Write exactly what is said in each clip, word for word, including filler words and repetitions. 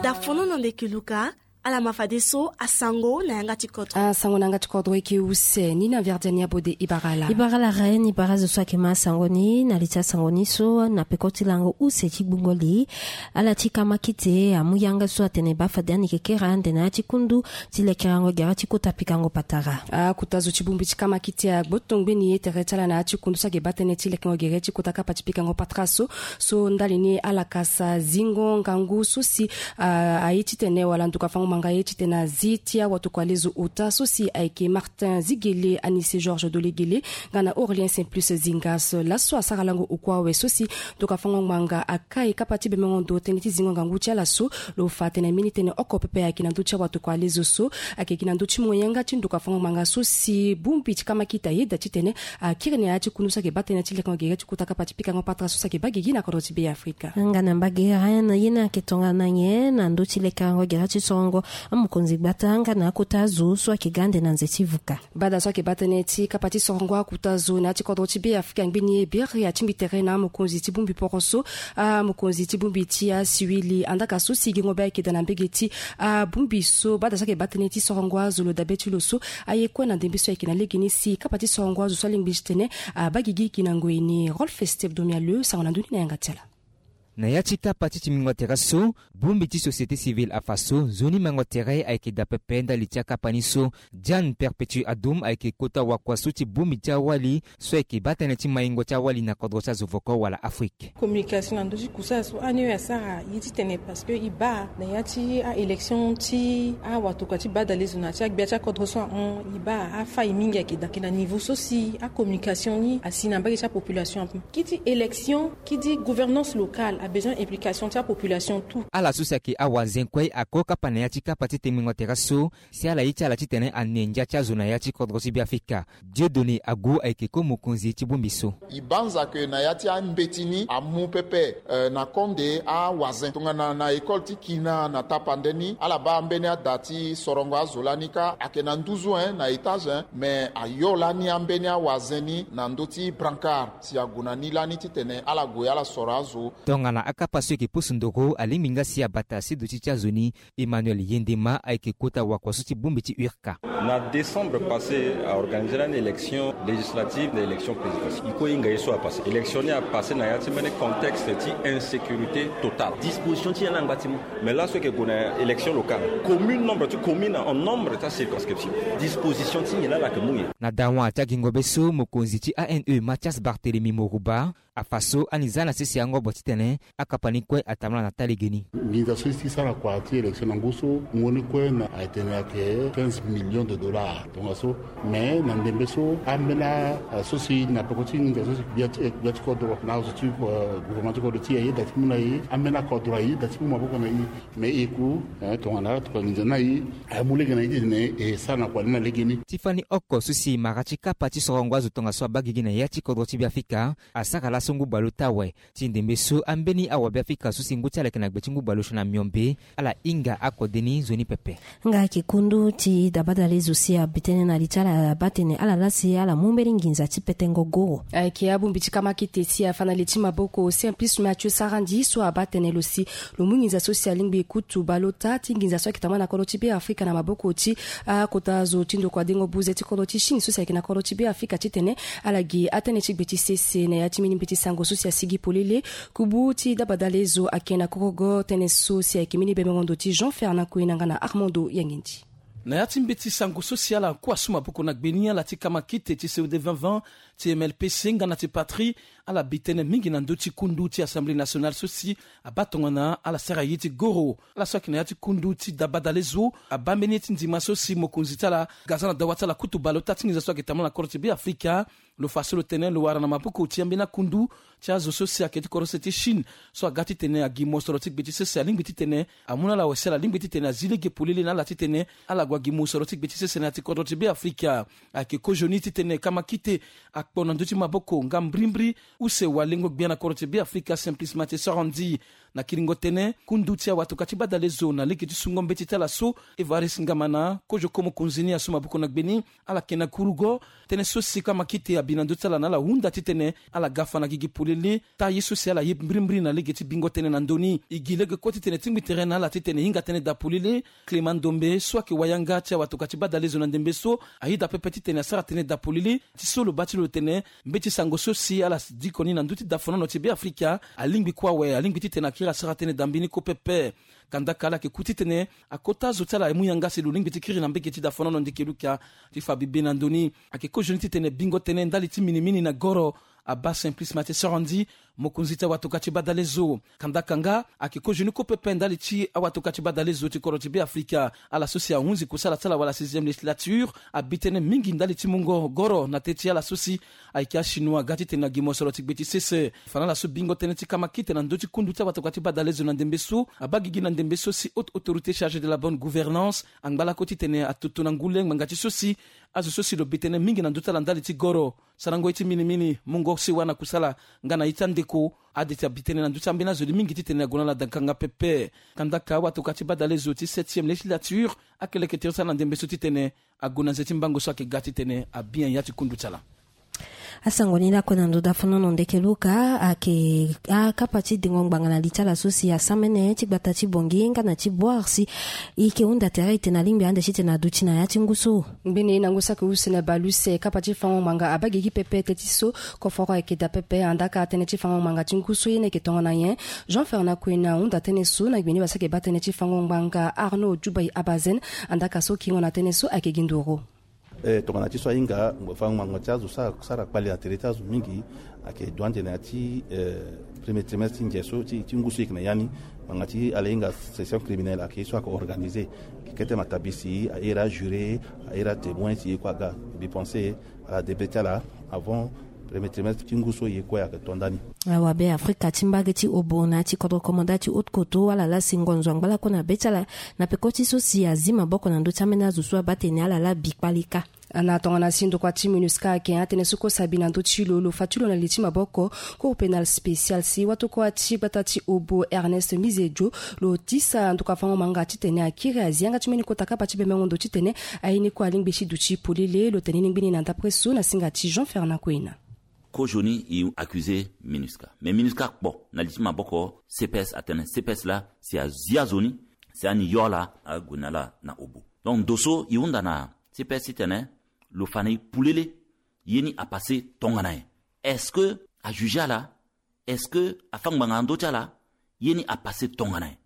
Dafono na ndeke luka. Ala ma fadeso asango na yanga ti kodro. Asango na yanga ti kodro eke use ni na verdiani abode ibarala. Ibarala rain ibara zo so ayeke ma asango ni na li ti asango ni so na peko ti lango use ti gbungo li. Ala ti kamakite amu yanga so atene baa fade ani yeke kere ande na ya ti kundu ti lekerango gere ti kota pikango patara. Akota zo ti bongbi ti kamakite agboto ngbeni ye tere ti ala na ya ti kundu so ayeke baa tënë ti lekerango gere ti kota kapa ti pikango patara so. So ndali ni ala kasa zingo ngangu so si aye titene wala nduka fango manga aye titene azi ti awatokua lezo ota so si ayeke Martin Zigele, Anise Georges Dolegele nga na Aurelien Simplice Zingas. Laso asara lango oku awe so si nduka fango ngbanga akai kapa ti bemengo ndo tënë ti zingo ngangu ti ala so. Lo fa atene mbeni tënë oko pepe ayeke na ndö ti awatokua lezo so. Ayeke gi na ndö ti mo yanga ti nduka fango ngbanga so si bongbi ti kamakite ayeda titene akiri na ya ti kundu so ayeke baa tënë ti lekengo gere ti kota kapa ti pikango patara so si ayeke baa gigi na kodro ti Beafrika. Nga na mbage rain ye ni ayeke tongana nyen na ndö ti lekerango gere ti sorongo amokonzi gbata nga na akota azo so ayeke ga ande na nze ti vuka? Bada so ayeke baa tënë ti kapa ti sorongo akota zo na ya ti kodro ti Beafrika ngbeni ye biri atingbi tere na amokonzi ti bongbi poro so. Amokonzi ti bongbi ti asiwili andaka so si gengo be ayeke daa na mbege ti abongbi so bada so ayeke baa tënë ti sorongo azo lo dabe ti lo so. Aye kue na ndembe so ayeke na legeni si kapa ti sorongo azo so alingbi titene abaa gigi gi na ngoi ni. Rolf Steve Domialeu sango na ndö ni na yanga ti ala. Na ya ti kapa ti timbingo tere so, bongbi ti société civile afa so nzoni maingo tere ayeke daa pepe ndali ti akapa ni so. Diane Perpétue Adom ayeke kota wakua so ti bongbi ti awali so ayeke baa tënë ti maingo ti awali na kodro ti azo voko wala Afrique. Communication na ndö ti kusala so ani oyo asara ye titene parce que e baa na ya ti a-élection ti awatokua ti badalezo na ya ti agbia ti akodro so ahon e baa afai mingi ayeke daa ayeke na niveau so si acommunication ni asi na mbage ti apopulation ape. Ki ti élection ki ti gouvernance locale abezoin implication ti apopulation tout. Ala so si ayeke awazen kue ako kapa na ya ti kapa ti tengbingo tere so si ala ye ti ala titene ane ndia ti azo na ya ti kodro ti Beafrika. Dieudonné Agu ayeke ko mokonzi ti bongbi so. E banza ke na ya ti ambeti ni amu pepe, eh, na konde awazen tongana na école ti kina na tapande ni ala baa ambeni ada ti sorongo azo lani kâ ayeke na nduzu, eh, na étage, eh, me ayo lani ambeni awazen ni na ndö ti brancard si ague na ni lani titene ala gue ala soro azo. Tongana akapa so ayeke pusu ndoro alingbi nga si abata si duti ti azo ni. Emmanuel Yendema ayeke kota wakua so ti bongbi ti urka. Na décembre passé aorganize lani élection législative na élection présidentielle. E kue e hinga ye so apassé élection ni apassé na ya ti mbeni contexte ti insécurité totale. Disposition ti ye ni angba ti mu. Mais laso ayeke gue na élection locale commune, nombre ti commune en nombre ti acirconscription. Disposition ti nyen laa ala yeke mu nyen? Na dawa ti agingo be so mokonzi ti A N E Mathias Barthélemy Morouba afa so ani za na sese angobo titene akapa ni kue atambula na taa legeni. Nginza so e si sara kua ti élection na ngu so ngu ni kue na ayeke tene ayeke quinze millions de dollars tongaso. Mais na ndembe so ambeni aso si na peko ti nginza so si gbia ti gbia ti kodro na azo ti gouvernement ti kodro ti e ayeda ti mu na e. Ambeni akodro ayeda ti mu maboko na e. Mais e ku tongana atokua nginza ni na e amu lege na e titene e sara na kua ni na legeni. Ti fani oko so si mara ti kapa ti sorongo azo tongaso abaa gigi na ya ti kodro ti Beafrika asara laso ngu baleota awe. Ti ndembe so ambeni awabeafrika so si ngu ti ala ayeke na gbe ti ngu baleosio na miombe ala hinga akode ni nzoni pepe. Nga ayeke kundu ti dabadale zo si abi tënë na li ti ala abaa tene ala laa si ala mu mbeni nginza ti petengo goro. Ayeke abongbi ti kamakete si afa na li ti maboko Simplice Mathieu Sarandji so abaa tene lo si lo mu nginza so si alingbi kutu baleota ti nginza so ayeke tambula na kodro ti Beafrika na maboko ti akota zo ti ndokua dengo buze ti kodro ti Chine so si ayeke na kodro ti Beafrika titene ala gi atënë ti gbe ti sese na ya ti mbeni mbeti sango so si asigi polele. Kubu ti dabadale zo ayeke na korogo tënë so si ayeke mbeni bemengo ndo ti Jean Fernand Koina nga na Armando Yangendi. Na ya ti mbeti sango so si ala kua so maboko na gbe ni ala ti kamakite ti C O D vingt vingt ti M L P C nga na ti patrie ala bi tënë mingi na ndö ti kundu ti Assemblée nationale so si abaa tongana ala sara ye ti goro. Ala so ayeke na ya ti kundu ti dabadale zo abaa mbeni ye ti ndima so si mokonzi ti ala ga za na dawa ti ala kutu baleota ti nginza so ayeke tambula na kodro ti Beafrika. Lo fa so lo tene lo wara na maboko ti ambeni akundu ti azo so si ayeke ti kodro sese ti Chine so aga titene agi mosoro ti gbe ti sese alingbi titene amu na ala awe si ala lingbi titene azi lege polele na ala titene ala Wa gi mosoro ti gbe ti sese na ya ti kodro ti Beafrika. Ayeke kozoni titene kamakite akpo na ndö ti maboko nga mbrimbri use walengo-gbia na kodro ti Beafrika, Simplice Mathieu Sarandji. Na kiringo tënë, kundu ti awatoka ti badalezo na lege ti sungo mbeti ti ala so, Évariste Ngamana, kozo ko mokonzi ni asu maboko na gbe ni, ala yeke na kurugo. Tënë so si kamakite abi na ndö ti ala na ala hunda titene ala ga fa na gigi polele, taa ye so si ala ye mbrimbri na lege ti bingo tënë na ndö ni. E gi lege kue titene e tingbi tere na ala titene e hinga tënë daa polele. Clément Ndombe so ayeke wayanga ti awatoka ti badalezo na ndembe so, ayeda pepe titene asara tënë daa polele. Ti so lo baa ti lo tene mbeti sango so si ala diko ni na ndö ti dafanono ti Beafrika alingbi kue awe, alingbi titene akiri asara tënë daa mbeni ko pepe. Kandaka ala yeke ku titene akota zo ti ala amu yanga si lo lingbi ti kiri na mbage ti dafanono ndeke luka ti fa bibe na ndö ni. Ayeke kozoni titene bingo tënë ndali ti minimini na goro abaa Simplice Mathieu Sarandji, mokonzi ti awatoka ti badalezo. Kandaka nga ayeke kozoni ko pepe ndali ti awatoka ti badalezo ti kodro ti Beafrika. Ala so si ahunzi kusala ti ala wala sixième législature abi tënë mingi ndali ti mungo goro na teti ala so si ayeke achinois ga titene na gi mosoro ti gbe ti sese. Fa na ala so bingo tënë ti kamakite na ndö ti kundu ti awatoka ti badalezo na ndembe so, abaa gigi na ndembe so si haute autorité chargée de la bonne gouvernance angba lako titene atoto na ngu le ngbanga ti so si azo so si lo bi tënë mingi na ndö ti ala ndali ti goro, sarango ye ti minimini, mungo sewa na kusala nga na ye ti andeko. Ade ti abi tënë na ndö ti ambeni azo ni mingi titene ague na ala dakanga pepe. Kandaka awatoka ti badalezo ti septième législature akeleke tere ti ala na ndembe so titene ague na nze ti mbango so ayeke ga titene abi nyen ya ti kundu ti ala. Asango ni lakue na ndo dafanono ndeke luka ayeke akapa ti dengo ngbanga na li ti ala so si asamene ti gbata ti Bangui nga na ti Bouar si e yeke hunda tere ete na lingbi ande titene aduti na ya ti ngu so. Ngbene na ngu so ayeke use na bale use, kapa ti fango ngbanga abaa gigi pepe teti so koforo ayeke daa pepe. Andaka tënë ti fango ngbanga ti ngu so ye ni ayeke tongana nyen? Jean Fernand Kwena ahunda tënë so na gbe ni basa ayeke baa tënë ti fango ngbanga Arnaud Djoubaye Abazen. Andaka so kingo na tënë so ayeke gi nduru. Eh, tongana ti so ahinga, fango ngbanga ti azo sara, sara kpale na tere ti azo mingi. Ayeke duande na ya ti, eh, premier trimestre ti ngia so ti, ti ngu so e yeke na ya ni. Ngbanga ti ala hinga session criminelle ayeke ye so ayeke organisé. Kete matabisi, ahere ajuré, ahere atémoin si e kue aga. Mbi pensé ala début ti ala avant premier trimestre ti ngu so e ye kue ayeke to ndani. Awabe Afrika ti mbage ti obo na ya ti kodro komanda ti haute koto ala lasi ngonzo angba lako na be ti ala na peko ti so si azi maboko na ndö ti ambeni azo so abaa tene ala laa bi kpale kâ. Na tongana si ndokua ti MINUSCA ayeke atënë so kue si abi na ndö ti lo, lo fa ti lo na li ti maboko Cour pénale spéciale si watokua ti gbata ti obo Ernest Mizejo lo tisa ndokua fango ngbanga titene akiri azi yanga ti mbeni kota kapa ti bembengo ndo titene aye ni kue alingbi ti duti polele. Lo tene ni ngbeni na ndapre so na singa ti Jean Fernand Kwena. Kozoni e accusé MINUSCA, mais MINUSCA akpo na li ti maboko CPS atene CPS laa si azi azo ni si ani yo ala ague na ala na obo. Donc ndo so e hunda na CPS titene lo fa na e polele ye ni apassé tongana nyen? Est-ce que ajugé ala? Est-ce que afa ngbanga na ndö ti ala? Ye ni apassé tongana nyen?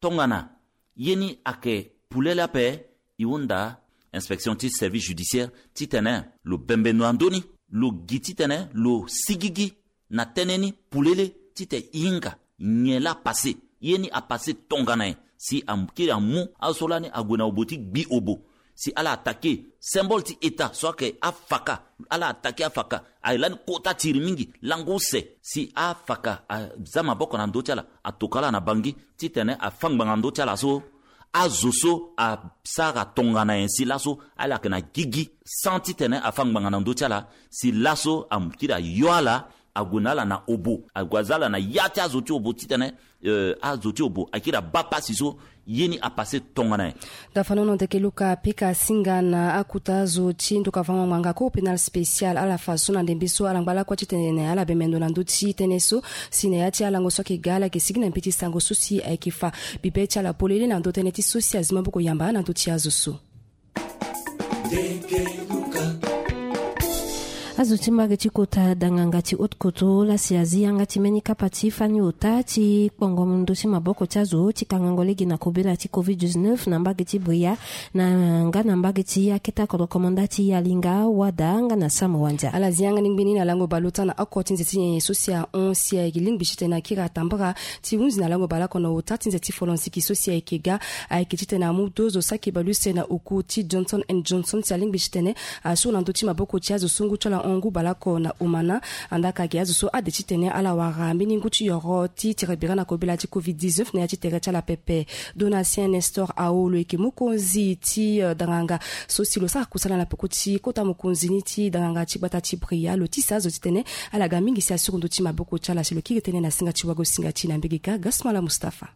Tongana ye ni ayeke polele ape, e hunda inspection ti service judiciaire titene lo bembe ndo na ndö ni, lo gi titene lo sigigi na tënë ni polele titene e hinga nyen laa apassé, ye ni apassé tongana nyen si akiri amu azo so lani ague na obo ti gbi obo. Si ala attaqué symbole ti État so ayeke afaka, ala attaqué afaka, aye lani kota tiri mingi, lango use si afaka aza maboko na ndö ti ala, atokua ala na Bangui titene afa ngbanga na ndö ti ala so azo so asara tongana nyen si laso ala yeke na gigi sans titene afa ngbanga na ndö ti ala, si laso akiri ayo ala ague na ala na obo, ague aza ala na ya ti azo ti obo titene, eh, azo ti obo akiri abaa pasi so ye ni apassé tongana nyen. Dafanono ndeke luka apika asinga na akota azo ti ndokua fango ngbanga Cour pénale spéciale, ala fa so na ndembe so ala ngba lakue titene ala bembe ndo na ndö ti tënë so si na ya ti alango so ayeke ga ala yeke sigi na mbeti sango so si ayeke fa bibe ti ala polele na ndö tënë ti so si azi maboko yamba na ndö ti azo so. Azo ti mbage ti kota danganga ti haute koto la si azi yanga ti mbeni kapa ti fani ota ti kpongo ndö ti maboko ti azo ti kangango lege na kobela ti covid dix-neuf na mbage ti Bria na nga na mbage ti aketa kodro komanda ti Yalinga, Wada nga na Samoa ndia. Ala zi yanga ni ngbeni na lango baleota na oko ti nze ti nyenye so si ahon si ayeke lingbi titene akiri atambara ti hunzi na lango baleoko na ota ti nze ti folonsiki so si ayeke ga. Ayeke titene amu deux zo saki baleuse na oku ti Johnson and Johnson si alingbi titene asuru na ndö ti maboko ti azo so ngu ti ala hon ngu baleoko na omana. Andaa ka ayeke azo so ade titene ala wara mbeni ngu ti yoro ti tere bira na kobela ti covid dix-neuf na ya ti tere ti ala pepe. Donatien Nestor Ao lo yeke mokonzi ti, eh, danganga so si lo sara kusala na peko ti kota mokonzi ni ti danganga ti gbata ti Bria, lo tisa azo titene ala ga mingi si asuru ndö ti maboko ti ala si lo kiri tënë na singa ti wago singa ti na mbege ka Gasmala Mustapha.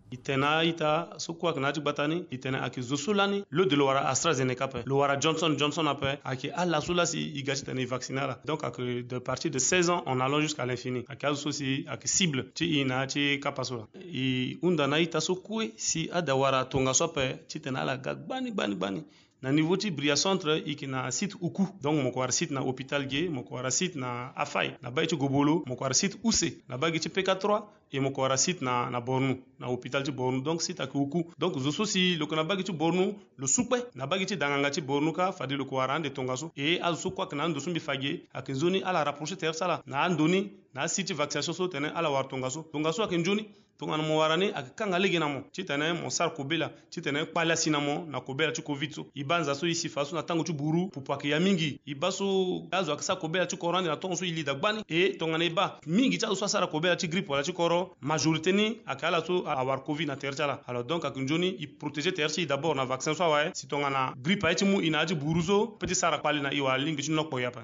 E tene na a-ita so kue ayeke na ya ti gbata ni, e tene ayeke zo so lani lo de lo wara AstraZeneca ape, lo wara Johnson Johnson ape, ayeke ala so laa si e ga titene e vacciner ala. Donc ayeke de partir de seize ans en allant jusqu'à l'infini, ayeke azo so si ayeke cible ti e na ya ti kapa so laa. E hunda na a-ita so kue si ada wara tongaso ape titene ala ga gbani gbani gbani. Na niveau ti Bria Centre, e yeke na site uku. Donc mo yeke wara site na hôpital ge, mo yeke wara site na Afai, na bage ti Gobolo, mo yeke wara site use na bage ti P K trois, e mo yeke wara site na, na Bornou, na hôpital ti Bornou. Donc site ayeke uku. Donc zo so si lo yeke na bage ti Bornou, lo su kpe na bage ti danganga ti Bornou ka, fade lo yeke wara ande tongaso. E azo so kue ayeke na ando so mbi fa ge, ayeke nzoni ala rapprocher tere ti ala na ando ni, na asite ti vaccination so tene ala wara tongaso. Tongaso ayeke nzoni. Tongana mo wara ni, ayeke kanga lege na mo titene mo sara kobela titene kpale asi na mo na kobela ti covid so. E baa nza so e si fa so na tango ti buru, pupu ayeke ya mingi. E baa so azo ayeke sara kobela ti koro ande na tongo so e li daa gbani. E tongana e baa mingi ti azo so asara kobela ti grippe wala ti koro, majorité ni ayeke ala so awara covid na tere ti ala. Alors donc ayeke nzoni e protéger tere ti e d'abord na vaccin so awe, si tongana grippe aye ti mu e na ya ti buru so, pe ti sara kpale na e wala lingbi ti nokpo e ape.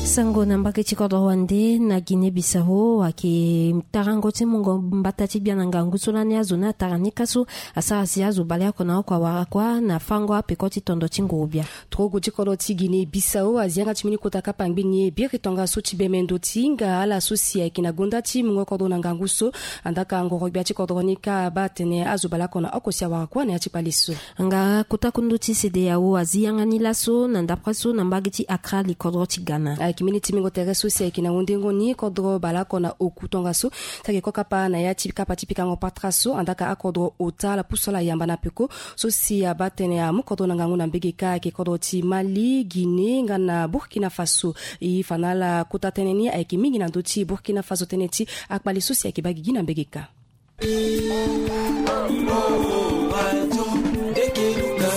Sango na mbage ti kodro wande na Guinée Bissau ayeke tarango ti mungo mbata ti gbia na ngangu so lani azo ni atara ni ka so asara si azo baleoko na oko awara kuâ na fango apeko ti tondo ti nguru-gbia. Torogo ti kodro ti Guinée Bissau azi yanga ti mbeni kota kapa ngbeni ye biri tongaso ti bemendo ti hinga ala so si ayeke na gonda ti mungo kodro na ngangu so. Andaa ka nguru-gbia ti kodro ni ka abaa atene azo baleoko na oko si awara kuâ na ya ti kpale so. Nga kota kundu ti CEDEAO azi yanga ni laso na ndapre so na mbage ti Accra, li kodro ti Ghana. Ayeke mbeni timbingo tere so si ayeke na hundengo ni kodro baleoko na oku tongaso si ayeke kokapa na ya ti kapa ti pikango patara so. Andaa ka akodro ota ala pusu ala yamba na peko so si abaa tënë amu kodro na ngangu na mbege ka ayeke kodro ti Mali, Guinée nga na Burkina Faso. E fa na ala kota tënë ni ayeke mingi na ndö ti Burkina Faso tënë ti akpale so si ayeke baa gigi na mbege ka.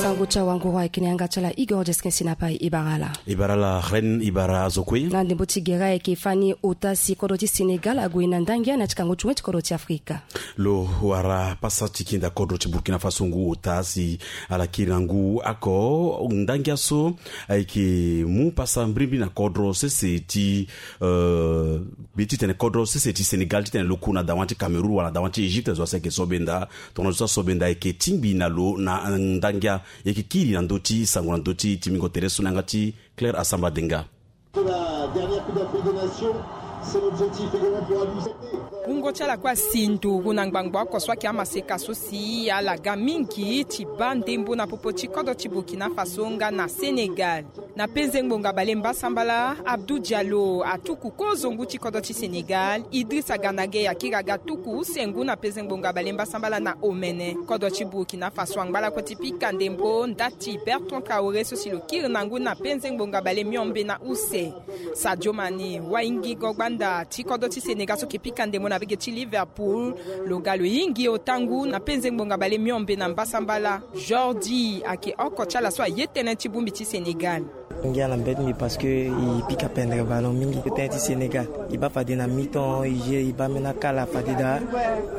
Sango ti awanguru ayeke na yanga ti ala Igor Jeskin si na pai e bara ala. E bara ala Reine, e bara azo kue. Na ndembo ti gere ayeke fani ota si kodro ti Sénégal ague na ndangia na ya ti kango ti wen ti kodro ti Afrika. Lo wara pasa ti kinda kodro ti Burkina Faso ngu ota si ala kiri na ngu oko ndangia so ayeke mu pasa mbirimbiri na kodro sese ti, euh, Be ti tene kodro sese ti Sénégal ti tene lo ku na dawa ti Cameroun wala dawa ti Égypte, zo asi ayeke so benda. Tongana zo so asi so benda ayeke tingbi na lo na ndangia. E yeke kiri na ndö ti sango na ndö ti timbingo tere so na yanga ti Claire Asamba Denga. Pour la dernière Coupe d'Afrique des Nations, c'est l'objectif également pour Aliou Cissé. Wungo ti ala kue asi nduru na ngbangbo oko so ayeke amaseka so si ala ga mingi ti baa ndembo na popo ti kodro ti Burkina Faso nga na Sénégal. Na penze ngbonga bale mbasambala, Abdou Diallo atuku kozo ngu ti kodro ti Sénégal, Idrissa Gana Gueye akiri aga tuku use ngu na penze ngbonga bale mbasambala na omene. Kodro ti Burkina Faso angba lakue ti pika ndembo nda ti Bertrand Traoré so si lo kiri na ngu na penze ngbonga bale miombe na use. Sadio Mané, waingi go gbanda ti kodro ti Sénégal so yeke pika ndembo na mbage ti Liverpool, lo ga lo hingi ota ngu na penze ngbonga bale miombe na mbasambala. Jordi ayeke oko ti ala so aye tënë ti bongbi ti Sénégal. Ngia na mbeti mbi parce que e pika pendere ballon mingi. Tënë ti Sénégal, e baa fade na mi-temps e jeu, e baa mbeni akala fade daa.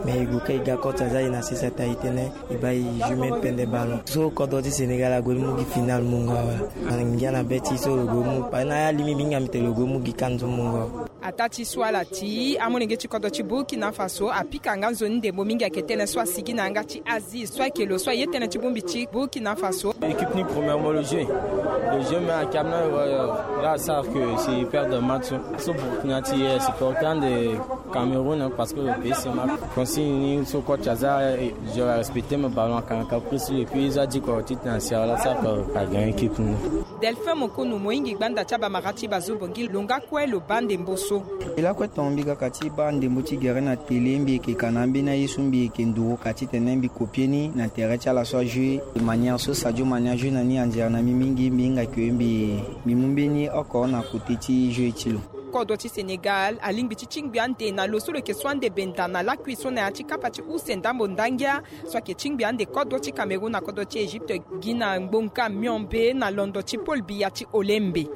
Mais e gue kâ e ga coach aza e na sese ata e tënë e baa e jeu mbeni pendere ballon. So kodro ti Sénégal ague ti mu gi final mungo awe. Ngia na mbeti so lo gue mu, parce que na ya limi mbi hinga mbi tene lo gue mu gi CAN so mungo awe. Ataa ti so ala ti amolenge ti kodro ti Burkina Faso apika nga nzoni ndembo mingi ayeke tënë so asigi na yanga ti Aziz so ayeke lo so aye tënë ti bongbi ti Burkina Faso. Équipe ni premièrement le jeu. Le jeu mais ayeke amené, euh, là savent que c'est perdre match. So Burkina ti, euh, supporter ande Cameroun, hein, parce que le pays c'est mal. Consigne ni so coach aza, euh, je respecte mon ballon akanga caprice et puis ils a dit quoi titre na sierra là savent que a gagné équipe ni. Delphin Mokonu mo hingi gbanda ti abamara ti Bazobongi lo nga kue lo baa ndembo so. E lakue tonga mbi ga ka ti baa ndembo ti gere na tele, mbi yeke ka na ambeni aye so mbi yeke nduru ka titene mbi kopie ni na tere ti ala so ajeu. Manière so Sadio Mané ajeu na ni anzere na mbi mingi, mbi hinga ke mbi, mbi mu mbeni oko na kote ti jeu ti lo. kodro ti Sénégal alingbi ti tingbi ande na lo so lo yeke so ande benda na lakui so na ya ti kapa ti use ndambo ndangia so ayeke tingbi ande kodro ti Cameroun na kodro ti Égypte gi na ngbonga miombe na londo ti pôle biya ti Olembe.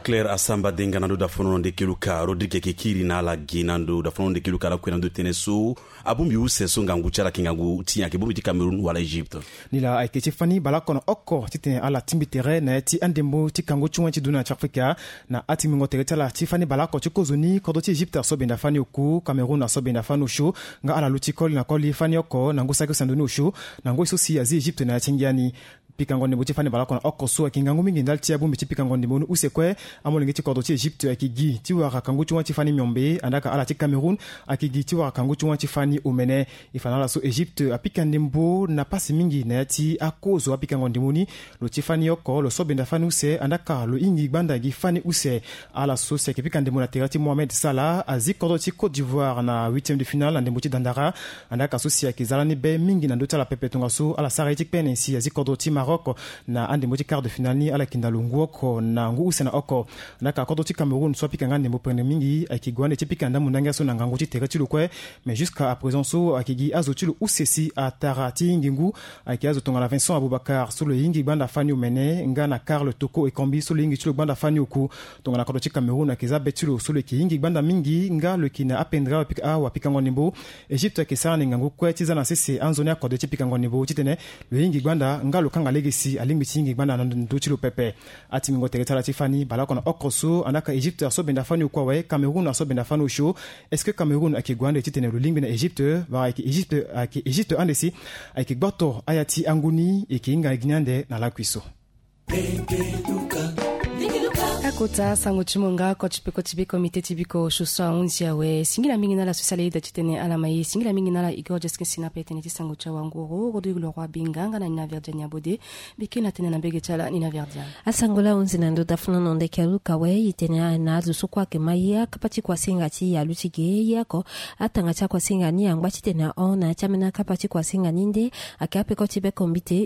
Claire Asamba Denga na ndo dafono na ndeke luka Rodrigue ayeke kiri na ala gi na ndo dafono na ndeke luka ala kue na ndo tënë so abongbi use so ngangu ti ala ayeke ngangu ti nyen, ayeke bongbi ti Cameroun wala Égypte? Ni laa ayeke ti fani baleoko na oko titene ala tingbi tere na ya ti andembo ti kangu ti wen ti dunia na ti Afrika. Na atimbingo tere ti ala ti fani baleoko ti kozoni, kodro ti Égypte aso benda fani oku, Cameroun aso benda fani osio, nga ala luti koli na koli fani oko na ngu saki use na ndoni osio na ngoi so si azi Égypte na ya ti ngia ni. Pikango ndembo ti fani baleoko na oko so ayeke ngangu mingi ndali ti abongbi ti pikango ndembo ni use kue. Amolenge ti kodro ti Égypte ayeke gi ti wara kangu ti wen ti fani miombe, andaa ka ala ti Cameroun ayeke gi ti wara kangu ti wen ti fani omene. E fa na ala so Égypte apika ndembo na pasi mingi na ya ti akozo apikango ndembo ni. Lo ti fani oko lo so benda fani use, andaa ka lo hingi gbanda gi fani use. Ala so si ayeke pika ndembo na tere ti Mohamed Salah azi kodro ti Côte d'Ivoire na huitième de finale na ndembo ti dandara. Andaa ka so si ayeke za lani be mingi na ndö ti ala pepe tongaso ala sara ye ti kpene si azi kodro ti Maroc na andembo ti quart de finale ni, ala yeke nda lo ngu oko na ngu use na oko. Andaa ka kodro ti Cameroun so apika nga ndembo pene mingi ayeke gue ande ti pika ndambo ndangia so na ngangu ti tere ti lo kue. Mais jusqu'à à présent so ayeke gi azo ti lo use si atara ti hingi ngu. Ayeke azo tongana Vincent Aboubacar so lo hingi gbanda fani omene, nga na Karl Toko Ekambi so lo hingi ti lo gbanda fani oku. Tongana kodro ti Cameroun ayeke za be ti lo so lo yeke hingi gbanda mingi nga lo yeke na apendre awapikango ndembo. Égypte ayeke sara ni ngangu kue ti za na sese anzoni akode ti pikango ndembo titene lo hingi gbanda nga lo kanga lege si alingbi ti hingi gbanda na ndö ti lo pepe. Atimbingo tere ti ala ti fani baleoko na oko so, andaa ka Égypte aso benda fani oku awe, Cameroun aso benda fani osio. Est-ce que Cameroun ayeke gue ande titene lo lingbi na Égypte wala ayeke Égypte, ayeke Égypte ande si ayeke gboto aya ti angu ni? E yeke hinga gi ni ande na lakui so. Akota sango ti mo nga oko ti peko ti be komite ti biko osio so ahunzi awe. Singila mingi na ala so si ala yeda titene ala ma ye. Singila mingi na ala Igor Jeskin Sina pe tene ti sango ti awanguru Rodrigue Leroy Binga nga na Nina Verdiane Abode. Bike na tene na mbege ti ala Nina Verdiane. Asango laa ahunzi na ndo dafono na ndeke aluka awe. E tene na azo so kue ayeke ma ye akapa ti kuasinga ti e aluti ge ye oko. Atanga ti akuasinga ni angba titene ahon na ya ti ambeni akapa ti kuasinga ni nde ayeke apeko ti be komite.